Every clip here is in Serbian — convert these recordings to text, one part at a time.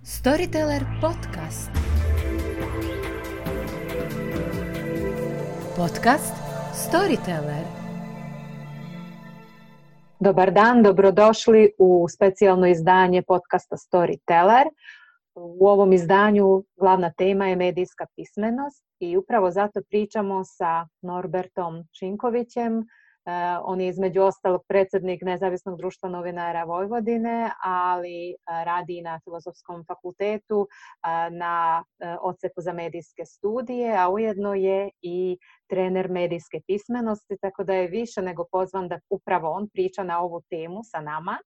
Storyteller podcast. Podcast Storyteller. Dobar dan, dobrodošli u specijalno izdanje podcasta Storyteller. U ovom izdanju glavna tema je medijska pismenost i upravo zato pričamo sa Norbertom Šinkovićem. On je između ostalog predsjednik Nezavisnog društva novinara Vojvodine, ali radi i na Filozofskom fakultetu na odseku za medijske studije, a ujedno je i trener medijske pismenosti, tako da je više nego pozvan da upravo on priča na ovu temu sa nama.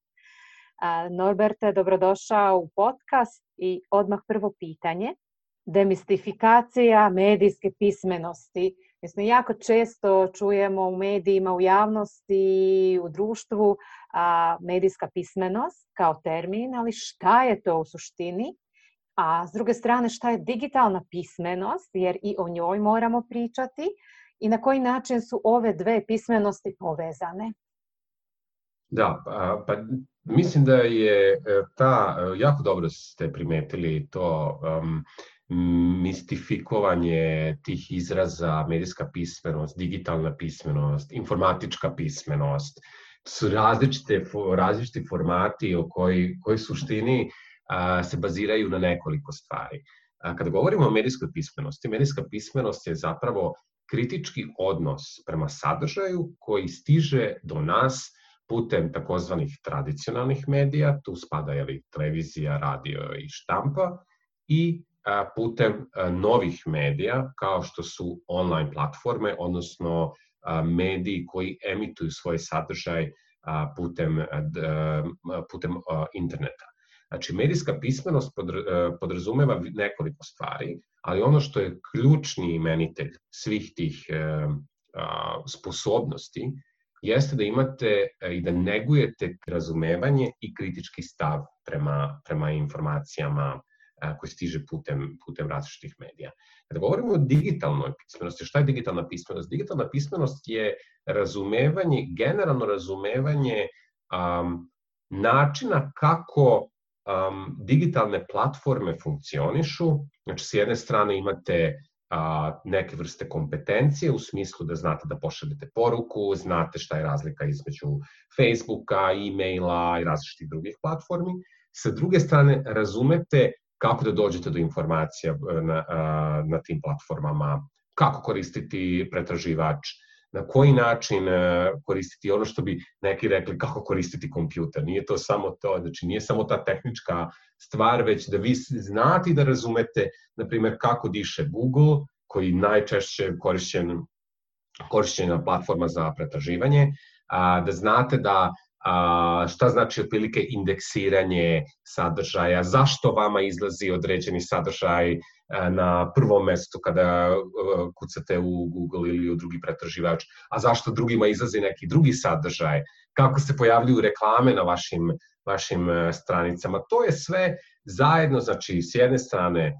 Norberte, dobrodošao u podcast i odmah prvo pitanje. Demistifikacija medijske pismenosti. Mislim, jako često čujemo u medijima, u javnosti, u društvu medijska pismenost kao termin, ali šta je to u suštini? A s druge strane, šta je digitalna pismenost, jer i o njoj moramo pričati i na koji način su ove dve pismenosti povezane? Da, pa mislim da je jako dobro ste primetili to mistifikovanje tih izraza, medijska pismenost, digitalna pismenost, informatička pismenost, su različiti formati koji suštini se baziraju na nekoliko stvari. Kada govorimo o medijska pismenost je zapravo kritički odnos prema sadržaju koji stiže do nas putem takozvanih tradicionalnih medija, tu spada televizija, radio i štampa, i putem novih medija kao što su online platforme, odnosno mediji koji emituju svoj sadržaj putem interneta. Znači, medijska pismenost podrazumeva nekoliko stvari, ali ono što je ključni imenitelj svih tih sposobnosti jeste da imate i da negujete razumevanje i kritički stav prema informacijama koji stiže putem različitih medija. Kada govorimo o digitalnoj pismenosti, šta je digitalna pismenost? Digitalna pismenost je generalno razumevanje načina kako digitalne platforme funkcionišu. Znači, s jedne strane imate neke vrste kompetencije u smislu da znate da pošaljete poruku, znate šta je razlika između Facebooka, e-maila i različitih drugih platformi. Sa druge strane, razumete kako da dođete do informacija na tim platformama, kako koristiti pretraživač, na koji način koristiti ono što bi neki rekli kako koristiti kompjuter. Nije to samo to, znači nije samo ta tehnička stvar, već da vi znate i da razumete, na primjer, kako diše Google, koji najčešće korišćena platforma za pretraživanje, da znate šta znači otprilike indeksiranje sadržaja, zašto vama izlazi određeni sadržaj na prvom mestu kada kucate u Google ili u drugi pretraživač, a zašto drugima izlazi neki drugi sadržaj, kako se pojavljuju reklame na vašim stranicama. To je sve zajedno, znači s jedne strane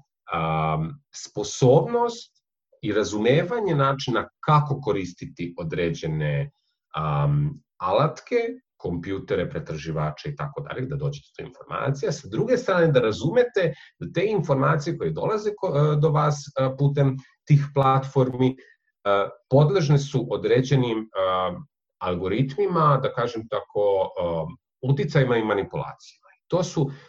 sposobnost i razumevanje načina kako koristiti određene alatke, kompjutere, pretraživače i tako dalje, da dođete do informacija. Sa druge strane, da razumete da te informacije koje dolaze do vas putem tih platformi podležne su određenim algoritmima, da kažem tako, uticajima i manipulacijama.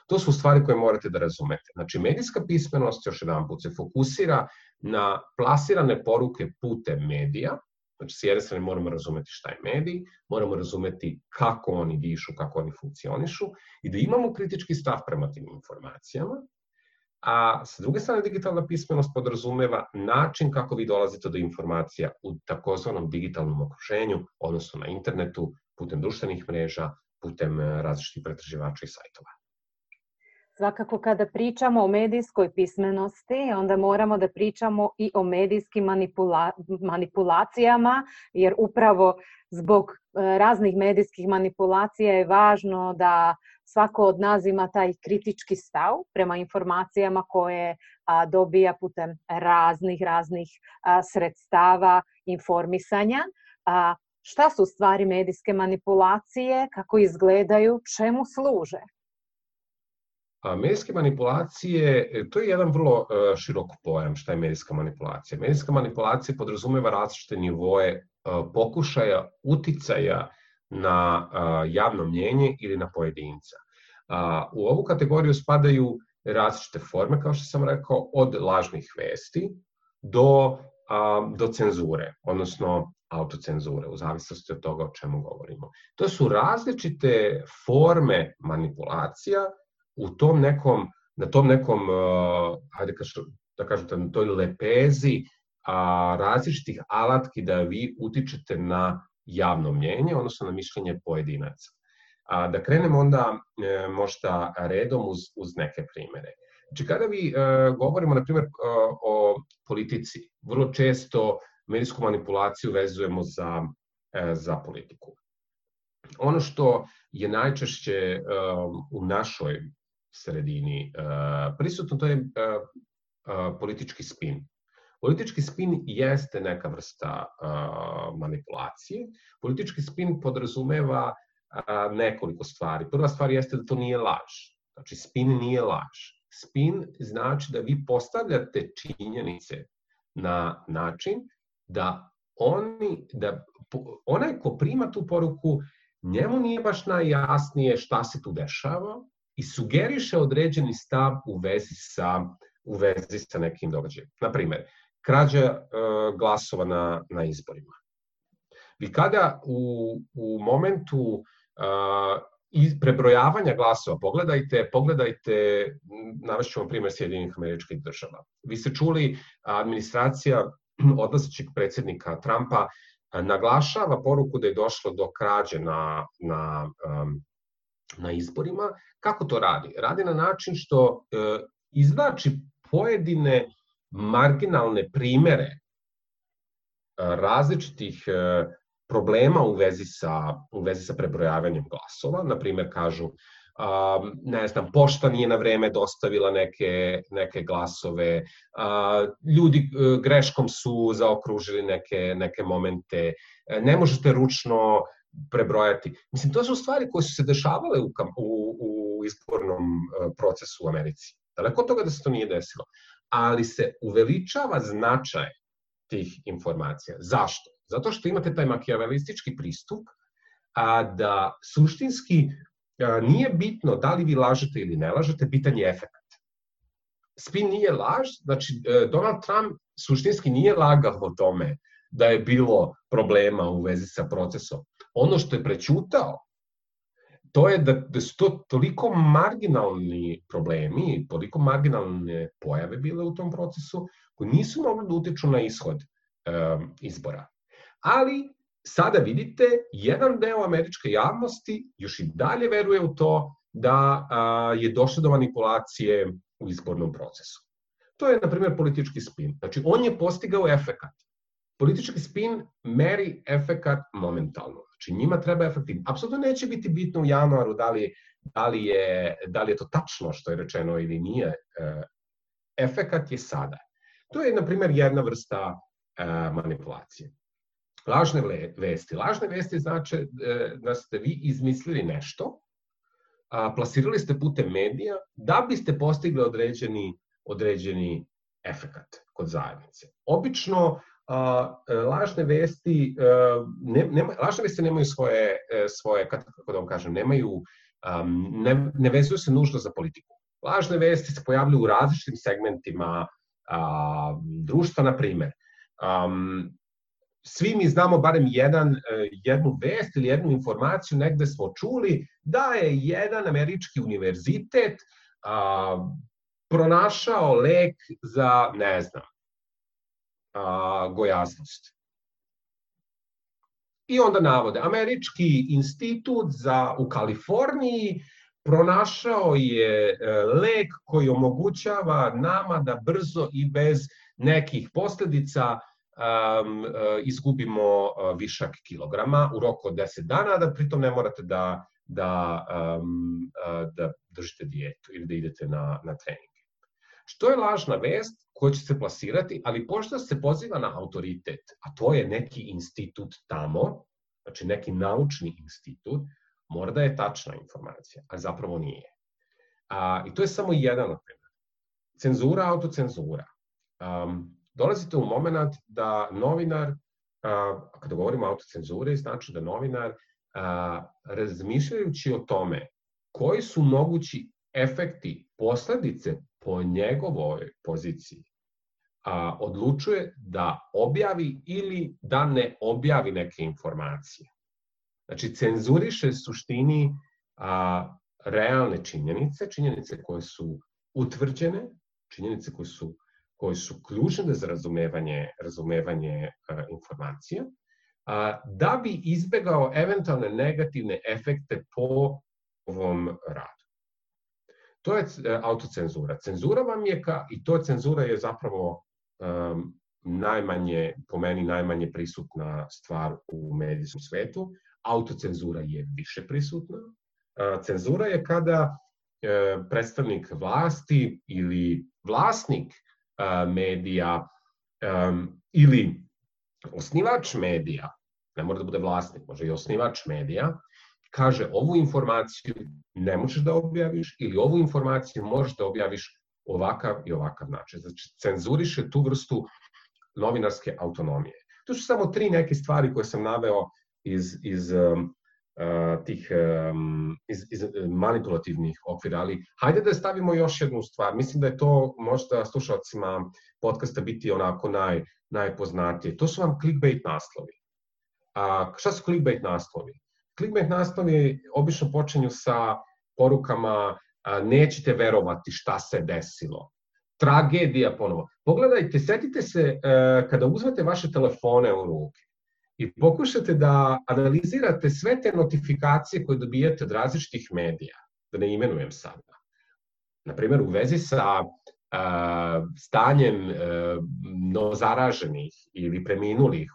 To su stvari koje morate da razumete. Znači, medijska pismenost, još jedan put, se fokusira na plasirane poruke putem medija. Znači, s jedne strane moramo razumeti šta je medij, moramo razumeti kako oni dišu, kako oni funkcionišu i da imamo kritički stav prema tim informacijama. A s druge strane, digitalna pismenost podrazumeva način kako vi dolazite do informacija u takozvanom digitalnom okruženju, odnosno na internetu, putem društvenih mreža, putem različitih pretraživača i sajtova. Svakako kada pričamo o medijskoj pismenosti, onda moramo da pričamo i o medijskim manipulacijama, jer upravo zbog raznih medijskih manipulacija je važno da svako od nas ima taj kritički stav prema informacijama koje dobija putem raznih sredstava informisanja. Šta su stvari medijske manipulacije, kako izgledaju, čemu služe? Medijske manipulacije, to je jedan vrlo širok pojam šta je medijska manipulacija. Medijska manipulacija podrazumeva različite nivoe pokušaja uticaja na javno mnjenje ili na pojedinca. U ovu kategoriju spadaju različite forme, kao što sam rekao, od lažnih vesti do cenzure, odnosno autocenzure, u zavisnosti od toga o čemu govorimo. To su različite forme manipulacija na tom nekom, hajde da kažete, na toj lepezi različitih alatki da vi utičete na javno mnjenje, odnosno na mišljenje pojedinaca. Da krenemo onda možda redom uz neke primere. Znači, kada vi govorimo, na primjer, o politici, vrlo često medijsku manipulaciju vezujemo za politiku. Ono što je najčešće u našoj sredini prisutno, to je politički spin. Politički spin jeste neka vrsta manipulacije. Politički spin podrazumeva nekoliko stvari. Prva stvar jeste da to nije laž. Znači, spin nije laž. Spin znači da vi postavljate činjenice na način da onaj ko prima tu poruku, njemu nije baš najjasnije šta se tu dešava i sugeriše određeni stav u vezi sa nekim događajem. Naprimer, krađa glasova na izborima. Vi kada u momentu prebrojavanja glasova, pogledajte, navešću vam primjer Sjedinjenih Američkih Država. Vi ste čuli, administracija odlazećeg predsjednika Trumpa naglašava poruku da je došlo do krađe na izborima. Kako to radi? Radi na način što izvlači pojedine marginalne primere različitih problema u vezi sa prebrojavanjem glasova. Naprimer, kažu, pošta nije na vreme dostavila neke glasove, ljudi greškom su zaokružili neke momente, ne možete ručno prebrojati. Mislim, to su stvari koje su se dešavale u izbornom procesu u Americi. Daleko od toga da se to nije desilo. Ali se uveličava značaj tih informacija. Zašto? Zato što imate taj makijavelistički pristup, da suštinski nije bitno da li vi lažete ili ne lažete, bitan je efekt. Spin nije laž, znači Donald Trump suštinski nije lagao o tome da je bilo problema u vezi sa procesom. Ono što je prećutao, to je da su to toliko marginalni problemi, toliko marginalne pojave bile u tom procesu, koji nisu mogli da utiču na ishod izbora. Ali sada vidite, jedan deo američke javnosti još i dalje veruje u to da je došlo do manipulacije u izbornom procesu. To je, na primjer, politički spin. Znači, on je postigao efekat. Politički spin meri efekat momentalno. Znači, njima treba efektiv. Apsolutno neće biti bitno u januaru da li je to tačno što je rečeno ili nije. Efekat je sada. To je, na primjer, jedna vrsta manipulacije. Lažne vesti. Lažne vesti znači da ste vi izmislili nešto, plasirali ste putem medija da biste postigli određeni efekat kod zajednice. Obično lažne vesti nemaju svoje, kako da vam kažem, ne vezuju se nužno za politiku. Lažne vesti se pojavljaju u različitim segmentima društva, na primjer. Svi mi znamo barem jednu vest ili jednu informaciju, negde smo čuli da je jedan američki univerzitet pronašao lek za, ne znam, gojaznost. I onda navode, američki institut u Kaliforniji pronašao je lek koji omogućava nama da brzo i bez nekih posljedica izgubimo višak kilograma u roku od 10 dana, da pritom ne morate da držite dijetu ili da idete na treninge. Što je lažna vest koja će se plasirati, ali pošto se poziva na autoritet, a to je neki institut tamo, znači neki naučni institut, mora da je tačna informacija, a zapravo nije. I to je samo jedan od primjera. Cenzura, autocenzura. Dolazite u moment da novinar, kada govorimo o autocenzuri, znači da novinar, razmišljajući o tome koji su mogući efekti, posledice po njegovoj poziciji, odlučuje da objavi ili da ne objavi neke informacije. Znači, cenzuriše suštini realne činjenice, činjenice koje su utvrđene, činjenice koje su ključne za razumevanje informacija, da bi izbegao eventualne negativne efekte po ovom radu. To je autocenzura. Cenzura vam je, i to cenzura je zapravo po meni najmanje prisutna stvar u medijskom svetu. Autocenzura je više prisutna. Cenzura je kada predstavnik vlasti ili vlasnik medija ili osnivač medija, ne mora da bude vlasnik, može i osnivač medija, kaže ovu informaciju ne možeš da objaviš ili ovu informaciju možeš da objaviš ovakav i ovakav način. Znači, cenzuriše tu vrstu novinarske autonomije. To su samo 3 neke stvari koje sam naveo iz manipulativnih okvira, ali hajde da stavimo još jednu stvar. Mislim da je to možda slušalcima podcasta biti onako najpoznatije. To su vam clickbait naslovi. Šta su clickbait naslovi? Clickbait naslovi obično počinju sa porukama nećete verovati šta se desilo. Tragedija ponovo. Pogledajte, setite se kada uzmete vaše telefone u ruke i pokušate da analizirate sve te notifikacije koje dobijete od različitih medija, da ne imenujem sada. Naprimjer, u vezi sa stanjem novozaraženih ili preminulih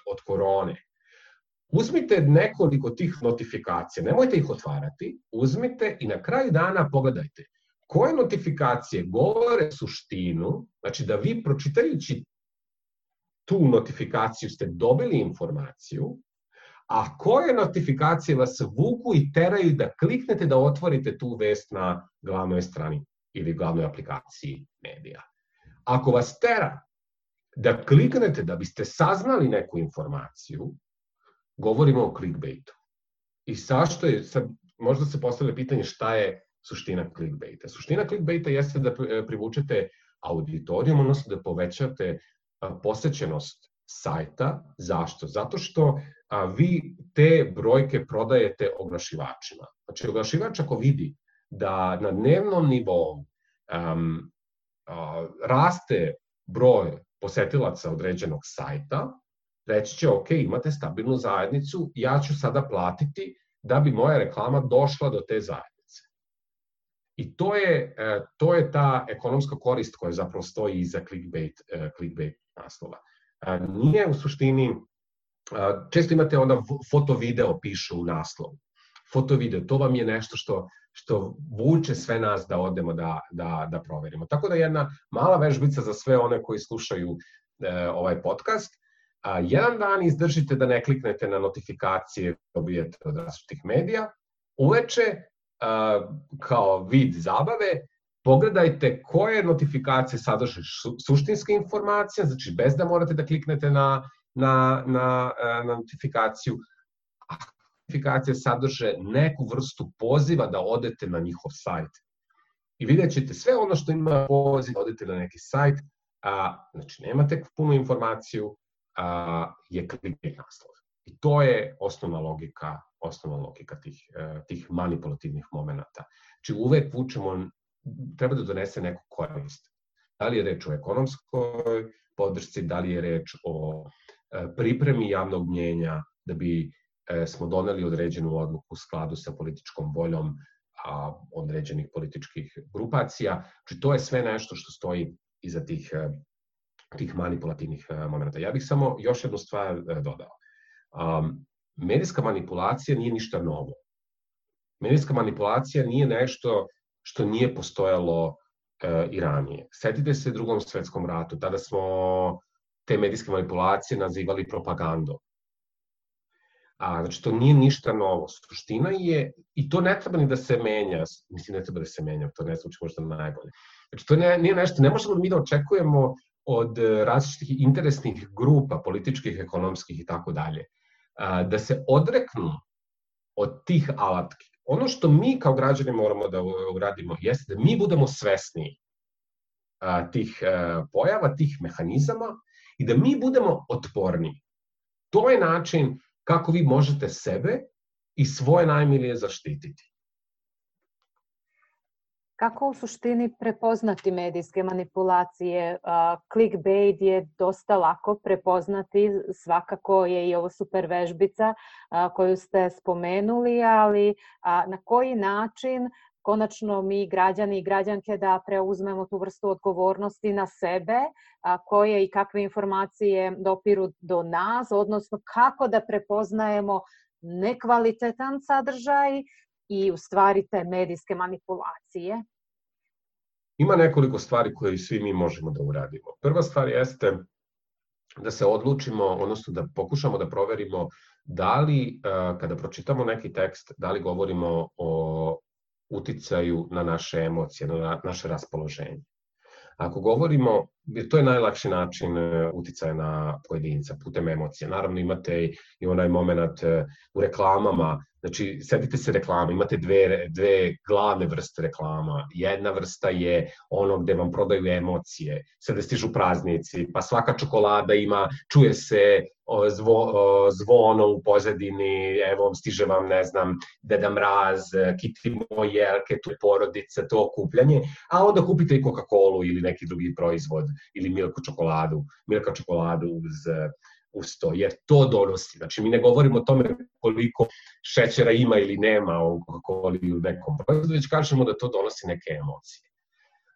od korone. Uzmite nekoliko tih notifikacija, nemojte ih otvarati, uzmite i na kraju dana pogledajte koje notifikacije govore suštinu, znači da vi pročitajući tu notifikaciju ste dobili informaciju, a koje notifikacije vas vuku i teraju da kliknete da otvorite tu vest na glavnoj strani ili glavnoj aplikaciji medija. Ako vas tera da kliknete da biste saznali neku informaciju, govorimo o clickbaitu. I zašto je, možda se postavlja pitanje šta je suština clickbaita. Suština clickbaita jeste da privučete auditorijum, odnosno da povećate posećenost sajta. Zašto? Zato što vi te brojke prodajete oglašivačima. Znači, oglašivač ako vidi da na dnevnom nivou raste broj posetilaca određenog sajta, reći će, ok, imate stabilnu zajednicu, ja ću sada platiti da bi moja reklama došla do te zajednice. I to je ta ekonomska korist koja zapravo stoji iza clickbait naslova. Nije u suštini, često imate onda foto-video pišu u naslovu. Foto-video, to vam je nešto što vuče sve nas da odemo da proverimo. Tako da jedna mala vežbica za sve one koji slušaju ovaj podcast. Jedan dan izdržite da ne kliknete na notifikacije dobijete od različitih medija. Uveče, kao vid zabave, pogledajte koje notifikacije sadrže suštinske informacije, znači bez da morate da kliknete na notifikaciju, a notifikacije sadrže neku vrstu poziva da odete na njihov sajt. I vidjet ćete sve ono što ima poziv da odete na neki sajt, znači nemate punu informaciju, je clickbait naslov. I to je osnovna logika tih manipulativnih momenata. Znači uvek treba da donese neku korist. Da li je reč o ekonomskoj podršci, da li je reč o pripremi javnog mnjenja da bi smo doneli određenu odluku u skladu sa političkom voljom određenih političkih grupacija. Znači to je sve nešto što stoji iza tih manipulativnih momenta. Ja bih samo još jednu stvar dodao. Medijska manipulacija nije ništa novo. Medijska manipulacija nije nešto što nije postojalo i ranije. Setite se Drugom svetskom ratu, tada smo te medijske manipulacije nazivali propagandom. Znači, to nije ništa novo. Suština je, i to ne treba ni da se menja, mislim, ne treba da se menja, to ne zvuči možda najbolje. Znači, to nije nešto, ne možemo mi da očekujemo od različitih interesnih grupa, političkih, ekonomskih i tako dalje, da se odreknu od tih alatki. Ono što mi kao građani moramo da uradimo jeste da mi budemo svesni tih pojava, tih mehanizama i da mi budemo otporni. To je način kako vi možete sebe i svoje najmilije zaštititi. Kako u suštini prepoznati medijske manipulacije? Clickbait je dosta lako prepoznati, svakako je i ovo super vežbica koju ste spomenuli, ali na koji način konačno mi građani i građanke da preuzmemo tu vrstu odgovornosti na sebe, koje i kakve informacije dopiru do nas, odnosno kako da prepoznajemo nekvalitetan sadržaj i u stvari te medijske manipulacije? Ima nekoliko stvari koje svi mi možemo da uradimo. Prva stvar jeste da se odlučimo, odnosno da pokušamo da proverimo da li, kada pročitamo neki tekst, da li govorimo o uticaju na naše emocije, na naše raspoloženje. Ako govorimo, to je najlakši način uticaja na pojedinca, putem emocije. Naravno imate i onaj moment u reklamama, znači setite se reklama, imate dve glavne vrste reklama. Jedna vrsta je ono gde vam prodaju emocije, sada stižu praznici, pa svaka čokolada ima, čuje se zvono u pozadini, evo stiže vam, ne znam, Deda Mraz, kitimo jelke, tu je porodica, to okupljanje, a onda kupite i Coca-Colu ili neki drugi proizvod, ili Milka čokoladu uz to, jer to donosi. Znači, mi ne govorimo o tome koliko šećera ima ili nema u Coca-Coli ili u nekom proizvodu, već kažemo da to donosi neke emocije.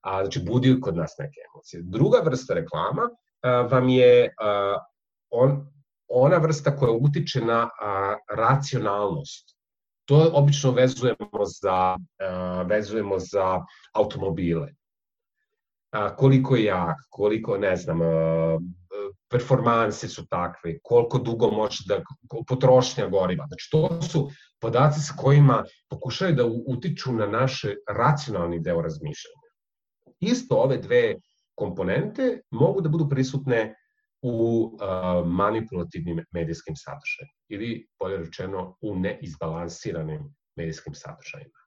Znači, budi kod nas neke emocije. Druga vrsta reklama vam je ona vrsta koja utiče na racionalnost. To obično vezujemo za automobile. Koliko je jak, koliko, ne znam, performanse su takve, koliko dugo može da, potrošnja goriva. Znači, to su podaci s kojima pokušaju da utiču na naš racionalni deo razmišljanja. Isto ove dve komponente mogu da budu prisutne u manipulativnim medijskim sadržajima ili, bolje rečeno, u neizbalansiranim medijskim sadržajima.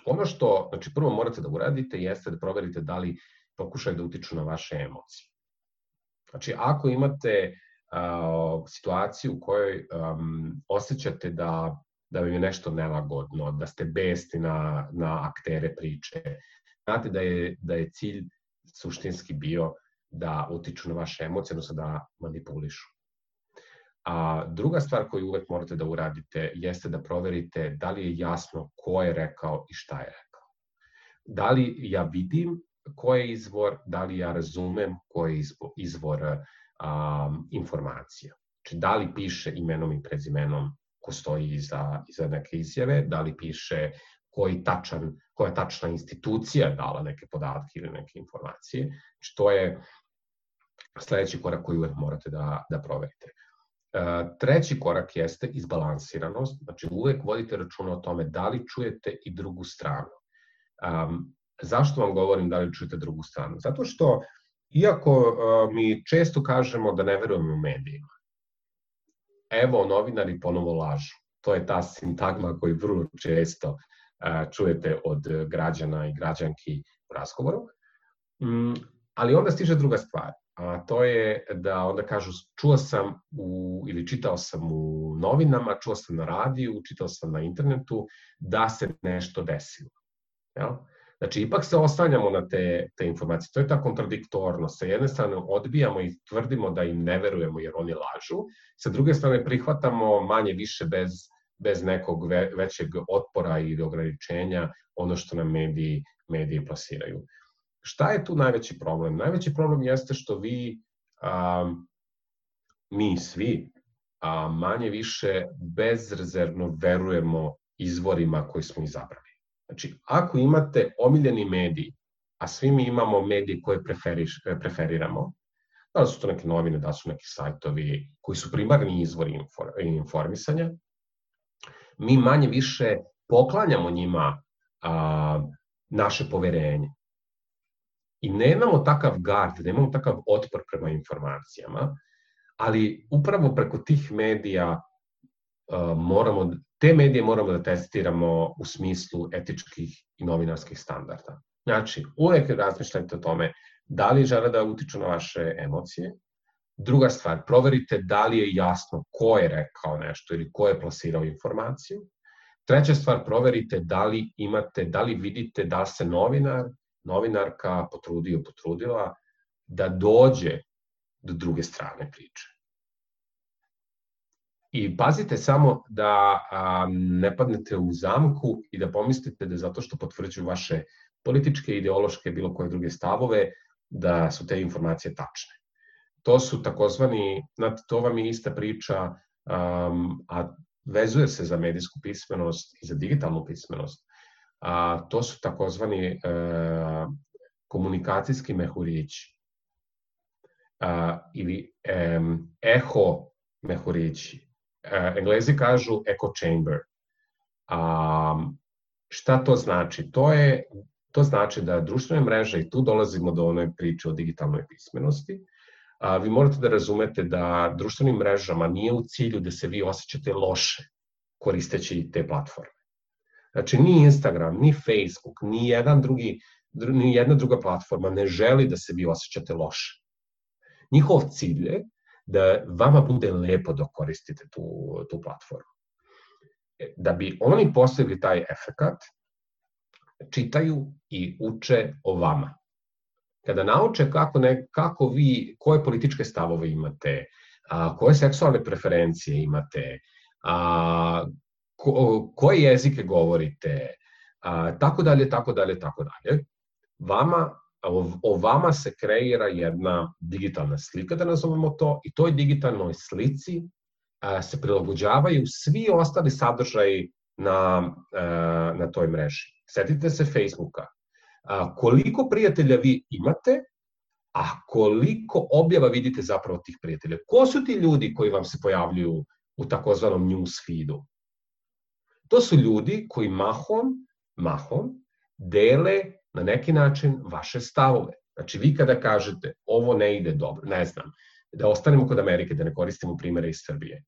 Ono što, znači, prvo morate da uradite jeste da proverite da li pokušaju da utiču na vaše emocije. Znači, ako imate situaciju u kojoj osjećate da vam je nešto nelagodno, da ste besni na aktere priče, znate da je cilj suštinski bio da utiču na vaše emocije, odnosno da manipulišu. A druga stvar koju uvek morate da uradite jeste da proverite da li je jasno ko je rekao i šta je rekao. Da li ja vidim ko je izvor, da li ja razumem ko je izvor informacija. Znači, da li piše imenom i prezimenom ko stoji iza neke izjave, da li piše koja je tačna institucija dala neke podatke ili neke informacije. Znači, to je sledeći korak koji uvek morate da proverite. Treći korak jeste izbalansiranost, znači uvek vodite računa o tome da li čujete i drugu stranu. Zašto vam govorim da li čujete drugu stranu? Zato što, iako mi često kažemo da ne verujemo u medijima, evo, novinari ponovo lažu. To je ta sintagma koju vrlo često čujete od građana i građanki u razgovoru. Ali onda stiže druga stvar. A to je da onda kažu čuo sam ili čitao sam u novinama, čuo sam na radiju, čitao sam na internetu da se nešto desilo. Znači, ipak se oslanjamo na te informacije. To je ta kontradiktornost. Sa jedne strane odbijamo i tvrdimo da im ne verujemo jer oni lažu, sa druge strane prihvatamo manje više bez nekog većeg otpora ili ograničenja ono što nam mediji plasiraju. Šta je tu najveći problem? Najveći problem jeste što mi svi manje više bezrezervno verujemo izvorima koji smo izabrali. Znači, ako imate omiljeni medij, a svi mi imamo medije koje preferiramo, Da li su to neke novine, da li su neki sajtovi koji su primarni izvori informisanja. Mi manje više poklanjamo njima naše poverenje. I nemamo takav gard, nemamo takav otpor prema informacijama, ali upravo preko tih medija te medije moramo da testiramo u smislu etičkih i novinarskih standarda. Znači, uvek razmišljajte o tome da li žele da utiču na vaše emocije. Druga stvar, proverite da li je jasno ko je rekao nešto ili ko je plasirao informaciju. Treća stvar, proverite da li vidite da se novinarka potrudila da dođe do druge strane priče. I pazite samo da ne padnete u zamku i da pomislite da zato što potvrđuju vaše političke, ideološke, bilo koje druge stavove, da su te informacije tačne. To su takozvani, to vam je ista priča, a vezuje se za medijsku pismenost i za digitalnu pismenost. To su takozvani komunikacijski mehurići ili eho mehurići. Englezi kažu echo chamber. Šta to znači? To znači da društvene mreže, i tu dolazimo do one priče o digitalnoj pismenosti, vi morate da razumete da društvenim mrežama nije u cilju da se vi osjećate loše koristeći te platforme. Znači, ni Instagram, ni Facebook, ni jedna druga platforma ne želi da se vi osjećate loše. Njihov cilj je da vama bude lepo dok koristite tu platformu. Da bi oni postigli taj efekat, čitaju i uče o vama. Kada nauče koje političke stavove imate, koje seksualne preferencije imate, koje jezike govorite, tako dalje, o vama se kreira jedna digitalna slika, da nazovemo to, i toj digitalnoj slici se prilagođavaju svi ostali sadržaji na toj mreži. Setite se Facebooka. Koliko prijatelja vi imate, a koliko objava vidite zapravo tih prijatelja? Ko su ti ljudi koji vam se pojavljuju u takozvanom news feedu? To su ljudi koji mahom dele na neki način vaše stavove. Znači, vi kada kažete ovo ne ide dobro, ne znam, da ostanemo kod Amerike, da ne koristimo primere iz Srbije.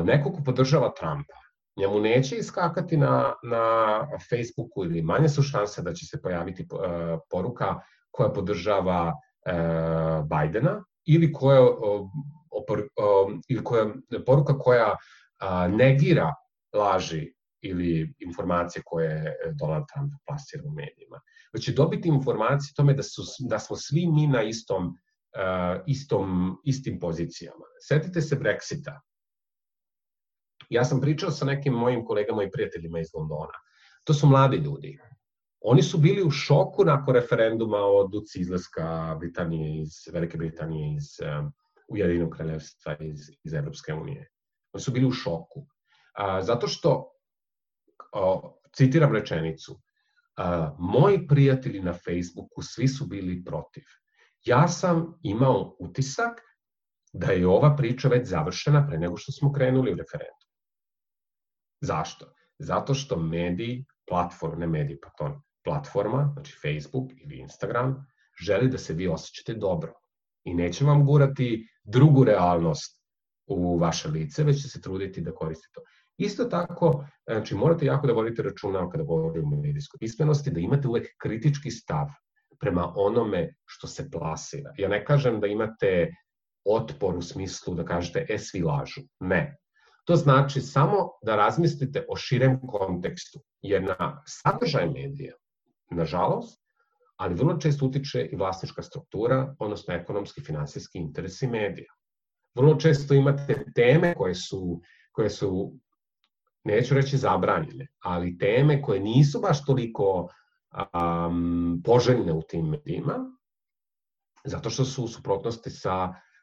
Neko ko podržava Trumpa, njemu neće iskakati na Facebooku ili manje su šanse da će se pojaviti poruka koja podržava Bajdena ili poruka koja negira laži ili informacije koje Donald Trump plasira u medijima. Već će dobiti informacije o tome da smo svi mi na istim pozicijama. Setite se Brexita. Ja sam pričao sa nekim mojim kolegama i prijateljima iz Londona. To su mladi ljudi. Oni su bili u šoku nakon referenduma o odluci izlaska Velike Britanije iz Ujedinjenog kraljevstva iz Evropske unije. Oni su bili u šoku. Zato što, citiram rečenicu, moji prijatelji na Facebooku svi su bili protiv. Ja sam imao utisak da je ova priča već završena pre nego što smo krenuli u referendum. Zašto? Zato što platforma, znači Facebook ili Instagram, želi da se vi osjećate dobro i neće vam gurati drugu realnost u vaše lice, već će se truditi da koristite to. Isto tako, znači morate jako da vodite računa kada govorimo o medijskoj pismenosti, da imate uvek kritički stav prema onome što se plasira. Ja ne kažem da imate otpor u smislu da kažete svi lažu. Ne. To znači samo da razmislite o širem kontekstu, jer na sadržaj medija, nažalost, ali vrlo često utiče i vlasnička struktura, odnosno ekonomski, finansijski interesi medija. Vrlo često imate teme koje su, neću reći zabranjene, ali teme koje nisu baš toliko poželjne u tim medijima, zato što su u suprotnosti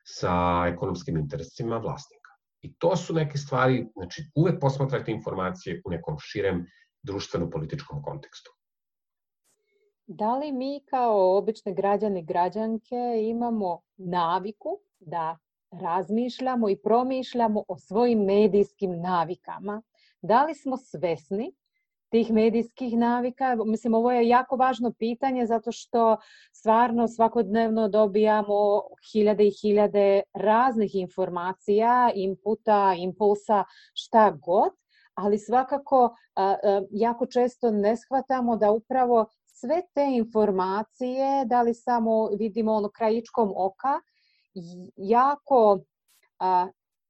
sa ekonomskim interesima vlasnika. I to su neke stvari, znači uvek posmatrajte informacije u nekom širem društveno-političkom kontekstu. Da li mi kao obične građani i građanke imamo naviku da razmišljamo i promišljamo o svojim medijskim navikama? Da li smo svesni tih medijskih navika? Mislim, ovo je jako važno pitanje zato što stvarno svakodnevno dobijamo hiljade i hiljade raznih informacija, inputa, impulsa, šta god, ali svakako jako često ne shvatamo da upravo sve te informacije, da li samo vidimo krajičkom oka, jako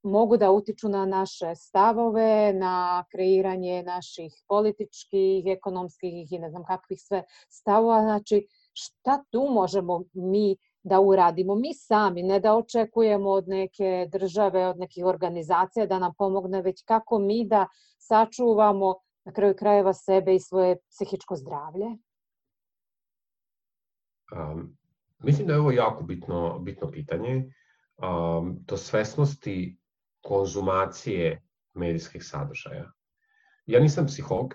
mogu da utiču na naše stavove, na kreiranje naših političkih, ekonomskih i ne znam kakvih sve stavova. Znači, šta tu možemo mi da uradimo? Mi sami, ne da očekujemo od neke države, od nekih organizacija da nam pomogne, već kako mi da sačuvamo na kraju krajeva sebe i svoje psihičko zdravlje? Mislim da je ovo jako bitno pitanje. Do svesnosti konzumacije medijskih sadržaja. Ja nisam psiholog,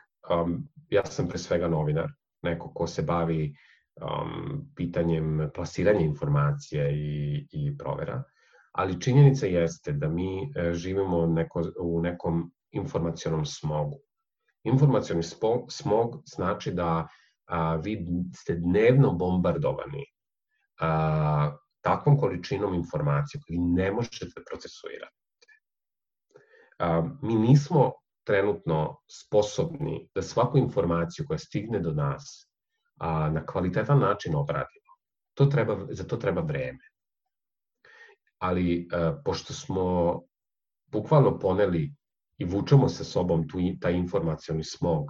ja sam pre svega novinar, neko ko se bavi pitanjem plasiranja informacija i provera, ali činjenica jeste da mi živimo u nekom informacionom smogu. Informacioni smog znači da vi ste dnevno bombardovani takvom količinom informacija koju ne možete procesuirati. Mi nismo trenutno sposobni da svaku informaciju koja stigne do nas na kvalitetan način obradimo. Za to treba vreme. Ali pošto smo bukvalno poneli i vučemo sa sobom taj informacioni smog,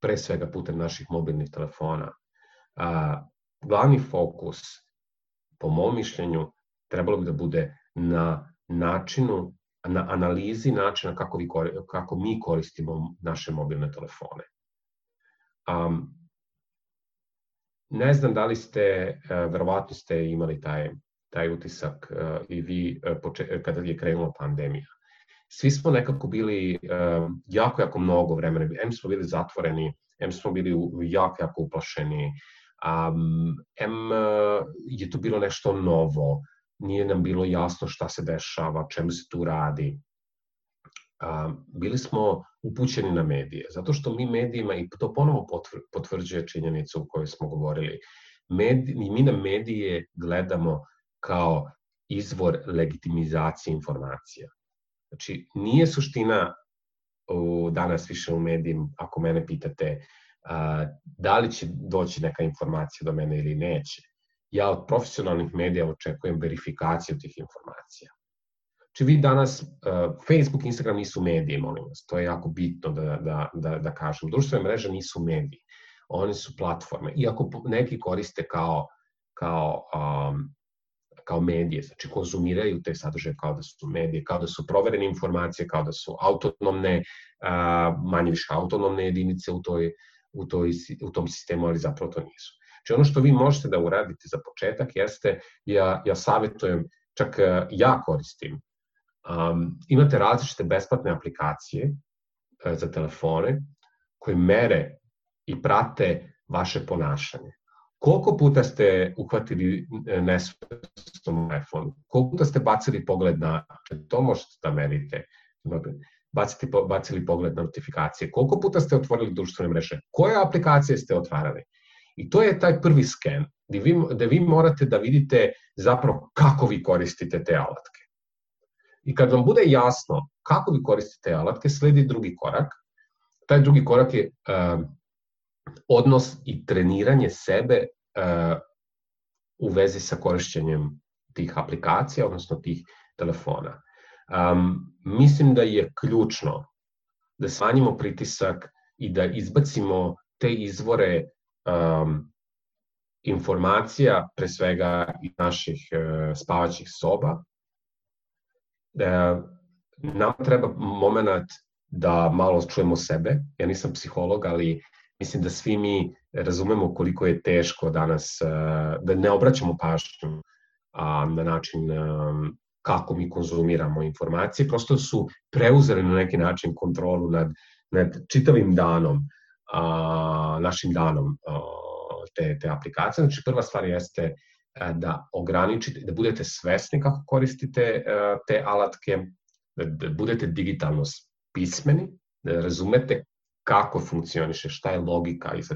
pre svega putem naših mobilnih telefona, glavni fokus, po mom mišljenju, trebalo bi da bude na analizi načina kako mi koristimo naše mobilne telefone. Ne znam da li verovatno ste imali taj utisak i vi kada je krenula pandemija. Svi smo nekako bili jako mnogo vremena, em smo bili zatvoreni, em smo bili jako uplašeni, em je to bilo nešto novo, nije nam bilo jasno šta se dešava, čemu se tu radi. Bili smo upućeni na medije, zato što mi medijima, i to ponovo potvrđuje činjenicu o kojoj smo govorili, mi na medije gledamo kao izvor legitimizacije informacija. Znači, nije suština danas više u medijima, ako mene pitate da li će doći neka informacija do mene ili neće. Ja od profesionalnih medija očekujem verifikaciju tih informacija. Znači, vi danas, Facebook, Instagram nisu mediji, molim vas, to je jako bitno da kažem. Društvene mreže nisu mediji, one su platforme. Iako neki koriste kao medije, znači konzumiraju te sadržaje kao da su medije, kao da su proverene informacije, kao da su autonomne, manje više autonomne jedinice u tom sistemu, ali zapravo to nisu. Znači, ono što vi možete da uradite za početak jeste, ja savjetujem, čak ja koristim, imate različite besplatne aplikacije za telefone koje mere i prate vaše ponašanje. Koliko puta ste uhvatili nesvesno telefon? Koliko puta ste bacili pogled na... To možete da merite. Bacili pogled na notifikacije. Koliko puta ste otvorili društvene mreže? Koje aplikacije ste otvarali? I to je taj prvi sken, gde vi morate da vidite zapravo kako vi koristite te alatke. I kad vam bude jasno kako vi koristite te alatke, sledi drugi korak. Taj drugi korak je odnos i treniranje sebe u vezi sa korišćenjem tih aplikacija, odnosno tih telefona. Mislim da je ključno da smanjimo pritisak i da izbacimo te izvore informacija, pre svega iz naših spavaćih soba. Nam treba moment da malo čujemo sebe. Ja nisam psiholog, ali mislim da svi mi razumemo koliko je teško danas, da ne obraćamo pažnju na način kako mi konzumiramo informacije. Prosto su preuzeli na neki način kontrolu nad čitavim danom, našim danom te aplikacije. Znači, prva stvar jeste da ograničite, da budete svesni kako koristite te alatke, da budete digitalno pismeni, da razumete kako funkcioniše, šta je logika iza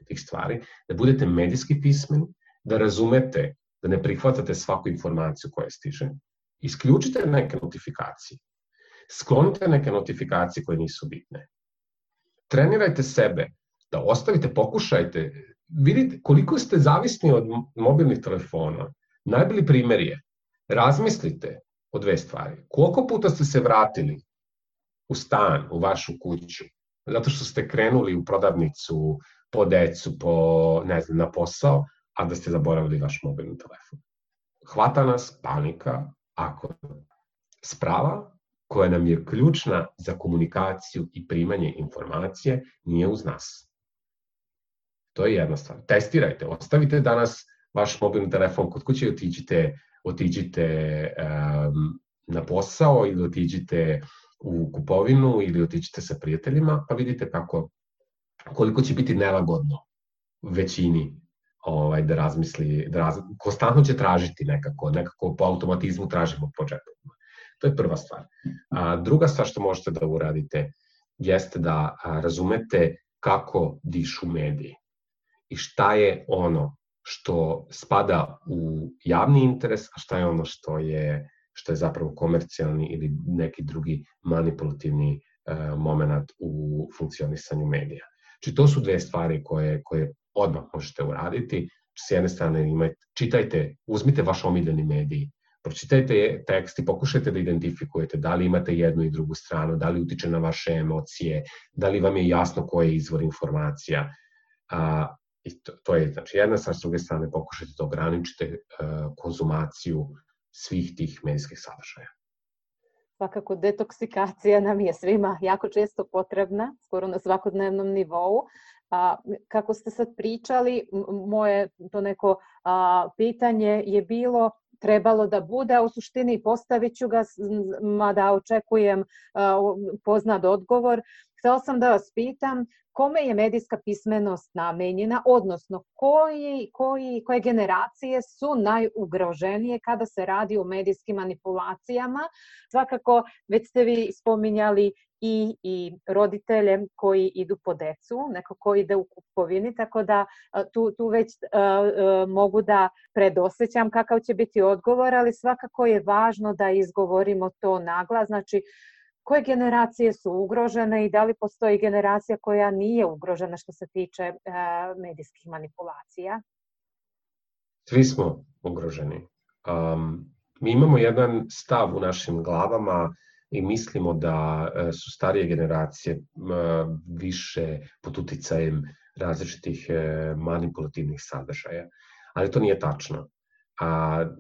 tih stvari, da budete medijski pismeni, da razumete, da ne prihvatate svaku informaciju koja stiže, isključite neke notifikacije, sklonite neke notifikacije koje nisu bitne, trenirajte sebe, da ostavite, pokušajte, vidite koliko ste zavisni od mobilnih telefona. Najbolji primjer je, razmislite o dve stvari. Koliko puta ste se vratili u stan, u vašu kuću, zato što ste krenuli u prodavnicu, po decu, na posao, a da ste zaboravili vaš mobilni telefon. Hvata nas panika ako sprava koja nam je ključna za komunikaciju i primanje informacije nije uz nas. To je jedna stvar. Testirajte, ostavite danas vaš mobilni telefon kod kuće i otiđite na posao ili otiđite u kupovinu ili otiđite sa prijateljima, pa vidite koliko će biti nelagodno većini da razmisli, konstantno će tražiti nekako po automatizmu tražimo po džepovima. To je prva stvar. Druga stvar što možete da uradite jeste da razumete kako dišu mediji i šta je ono što spada u javni interes, a šta je ono što je zapravo komercijalni ili neki drugi manipulativni moment u funkcionisanju medija. Znači, to su dve stvari koje odmah možete uraditi. S jedne strane čitajte, uzmite vaš omiljeni medij, pročitajte tekst i pokušajte da identifikujete da li imate jednu i drugu stranu, da li utiče na vaše emocije, da li vam je jasno koji je izvor informacija. I to je, znači, jedna stvar. S druge strane, pokušajte da ograničite konzumaciju svih tih medijskih sadržaja. Svakako, detoksikacija nam je svima jako često potrebna, skoro na svakodnevnom nivou. Kako ste sad pričali, moje to neko pitanje je bilo trebalo da bude, a u suštini postavit ću ga, mada očekujem poznat odgovor. Htela sam da vas pitam kome je medijska pismenost namenjena, odnosno koje generacije su najugroženije kada se radi o medijskim manipulacijama. Svakako, već ste vi spominjali i roditelje koji idu po decu, neko ko ide u kupovini, tako da tu već mogu da predosjećam kakav će biti odgovor, ali svakako je važno da izgovorimo to naglas. Znači, koje generacije su ugrožene i da li postoji generacija koja nije ugrožena što se tiče medijskih manipulacija? Svi smo ugroženi. Mi imamo jedan stav u našim glavama i mislimo da su starije generacije više pod uticajem različitih manipulativnih sadržaja. Ali to nije tačno.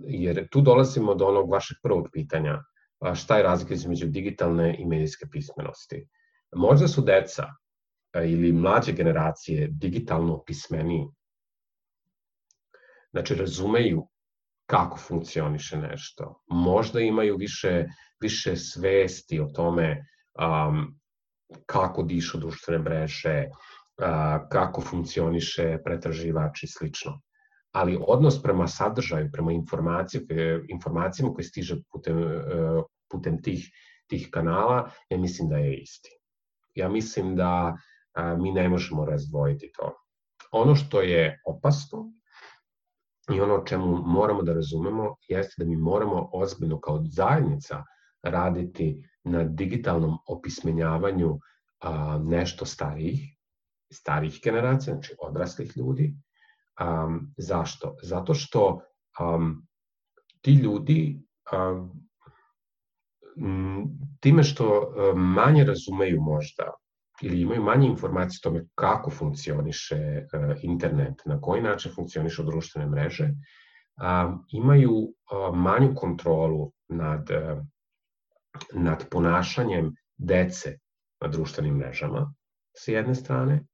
Jer tu dolazimo do onog vašeg prvog pitanja. Šta je razlika između digitalne i medijske pismenosti? Možda su deca ili mlađe generacije digitalno pismeniji. Znači, razumeju kako funkcioniše nešto. Možda imaju više svesti o tome kako dišu društvene mreže, kako funkcioniše pretraživač i slično. Ali odnos prema sadržaju, prema informacijama koje stiže putem tih kanala, ja mislim da je isti. Ja mislim da mi ne možemo razdvojiti to. Ono što je opasno i ono o čemu moramo da razumemo jeste da mi moramo ozbiljno kao zajednica raditi na digitalnom opismenjavanju nešto starijih generacija, znači odraslih ljudi. Zašto? Zato što ti ljudi time što manje razumeju možda ili imaju manje informacije o tome kako funkcioniše internet, na koji način funkcionišu društvene mreže, imaju manju kontrolu nad ponašanjem dece na društvenim mrežama, sa jedne strane.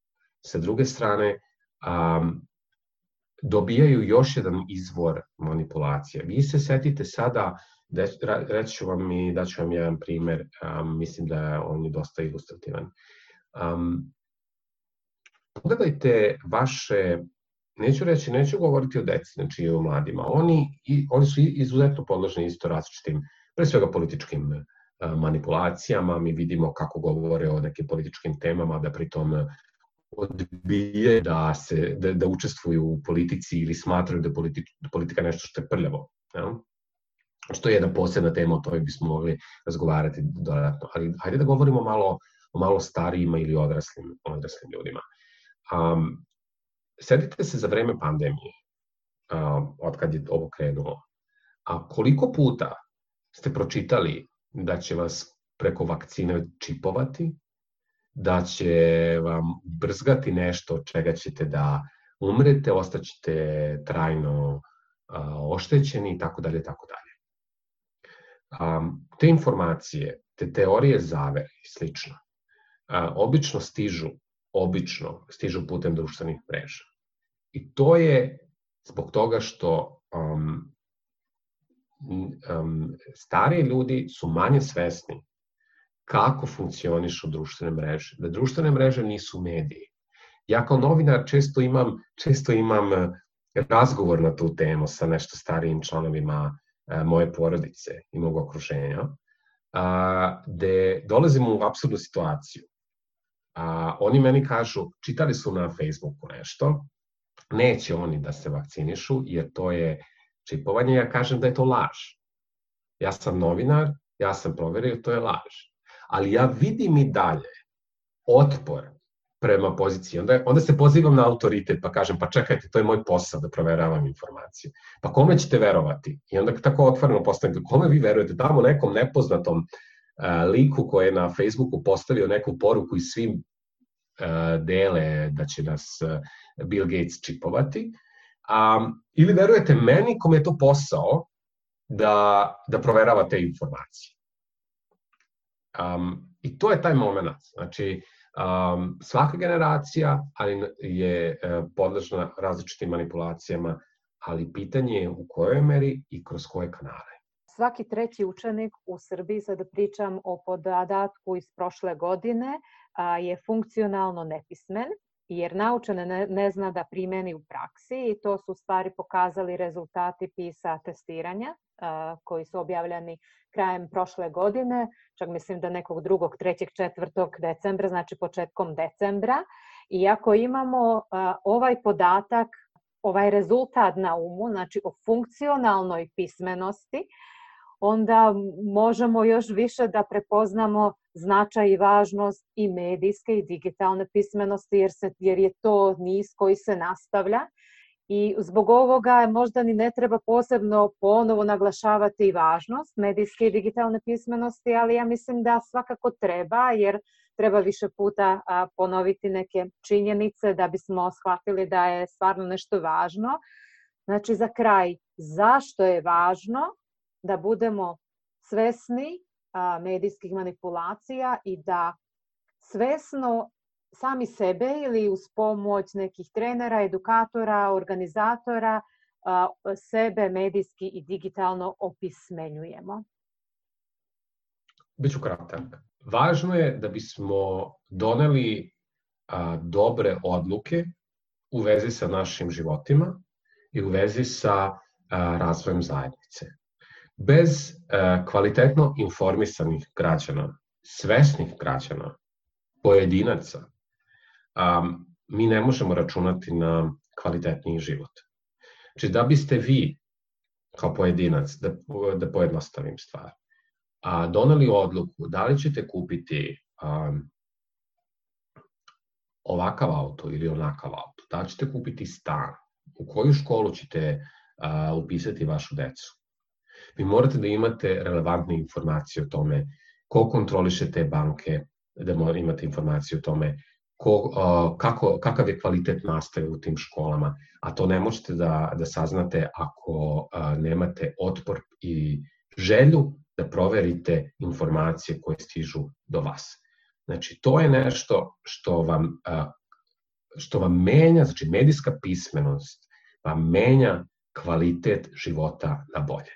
Sa druge strane, dobijaju još jedan izvor manipulacije. Vi se setite sada, reći ću vam i daću vam jedan primer, mislim da on je dosta ilustrativan. Pogledajte vaše neću govoriti o deci, znači i o mladima. Oni su izuzetno podložni isto različitim, pre svega političkim manipulacijama. Mi vidimo kako govore o nekim političkim temama, da pritom odbije da učestvuju u politici ili smatraju da politika nešto što je prljavo. Što je jedna posebna tema, o tome bismo mogli razgovarati dodatno. Ali hajde da govorimo o malo starijima ili odraslim ljudima. Setite se za vreme pandemije, od kad je ovo krenulo, a koliko puta ste pročitali da će vas preko vakcine čipovati, da će vam brzgati nešto od čega ćete da umrete, ostaćete trajno oštećeni i tako dalje, tako dalje. Te informacije, te teorije zavere i slično, obično stižu putem društvenih mreža. I to je zbog toga što stariji ljudi su manje svesni kako funkcionišu društvene mreže. Da društvene mreže nisu mediji. Ja kao novinar često imam razgovor na tu temu sa nešto starijim članovima moje porodice i mog okruženja, gde dolazimo u apsurdnu situaciju. Oni meni kažu, čitali su na Facebooku nešto, neće oni da se vakcinišu jer to je čipovanje. Ja kažem da je to laž. Ja sam novinar, ja sam proverio, to je laž. Ali ja vidim i dalje otpor prema poziciji. Onda se pozivam na autoritet pa kažem, pa čekajte, to je moj posao da proveravam informacije. Pa kome ćete verovati? I onda tako otvoreno postavim, kome vi verujete? Tamo nekom nepoznatom liku koji je na Facebooku postavio neku poruku i svim dele da će nas Bill Gates čipovati, ili verujete meni kome je to posao da proverava te informacije. I to je taj moment. Znači, svaka generacija je podložna različitim manipulacijama, ali pitanje je u kojoj meri i kroz koje kanale. Svaki treći učenik u Srbiji, sada pričam o podatku iz prošle godine, je funkcionalno nepismen, jer naučen ne zna da primeni u praksi, i to su stvari pokazali rezultati PISA testiranja koji su objavljeni krajem prošle godine, čak mislim da nekog 2., 3., 4. decembra, znači početkom decembra. I ako imamo ovaj podatak, ovaj rezultat na umu, znači o funkcionalnoj pismenosti, onda možemo još više da prepoznamo značaj i važnost i medijske i digitalne pismenosti, jer je to niz koji se nastavlja. I zbog ovoga možda ni ne treba posebno ponovo naglašavati i važnost medijske i digitalne pismenosti, ali ja mislim da svakako treba, jer treba više puta ponoviti neke činjenice da bismo shvatili da je stvarno nešto važno. Znači, za kraj, zašto je važno da budemo svesni medijskih manipulacija i da svesno sami sebe ili uz pomoć nekih trenera, edukatora, organizatora sebe medijski i digitalno opismenjujemo? Biću kratak. Važno je da bismo doneli dobre odluke u vezi sa našim životima i u vezi sa razvojem zajednice. Bez kvalitetno informisanih građana, svesnih građana, pojedinaca, mi ne možemo računati na kvalitetniji život. Znači, da biste vi, kao pojedinac, da pojednostavim stvar, doneli odluku da li ćete kupiti ovakav auto ili onakav auto, da li ćete kupiti stan, u koju školu ćete upisati vašu decu. Vi morate da imate relevantne informacije o tome ko kontroliše te banke, da imate informacije o tome kakav je kvalitet nastave u tim školama, a to ne možete da saznate ako nemate otpor i želju da proverite informacije koje stižu do vas. Znači, to je nešto što vam menja, znači medijska pismenost vam menja kvalitet života na bolje.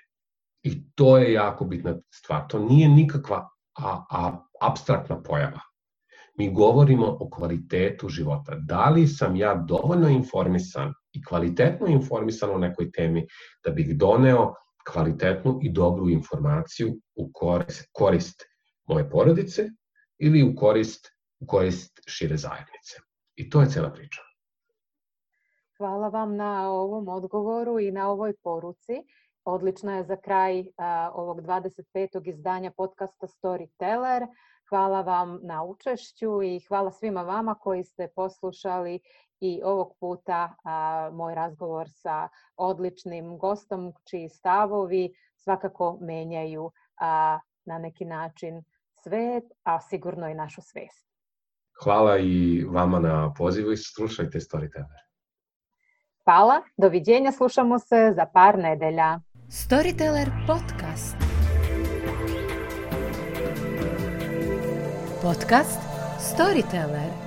I to je jako bitna stvar. To nije nikakva apstraktna pojava. Mi govorimo o kvalitetu života. Da li sam ja dovoljno informisan i kvalitetno informisan o nekoj temi da bih doneo kvalitetnu i dobru informaciju u korist moje porodice ili u korist šire zajednice. I to je cela priča. Hvala vam na ovom odgovoru i na ovoj poruci. Odlična je za kraj ovog 25. izdanja podcasta Storyteller. Hvala vam na učešću i hvala svima vama koji ste poslušali i ovog puta moj razgovor sa odličnim gostom čiji stavovi svakako menjaju na neki način svet, a sigurno i našu svest. Hvala i vama na pozivu i slušajte Storyteller. Hvala, doviđenja, slušamo se za par nedelja. Storyteller podcast. Podcast Storyteller.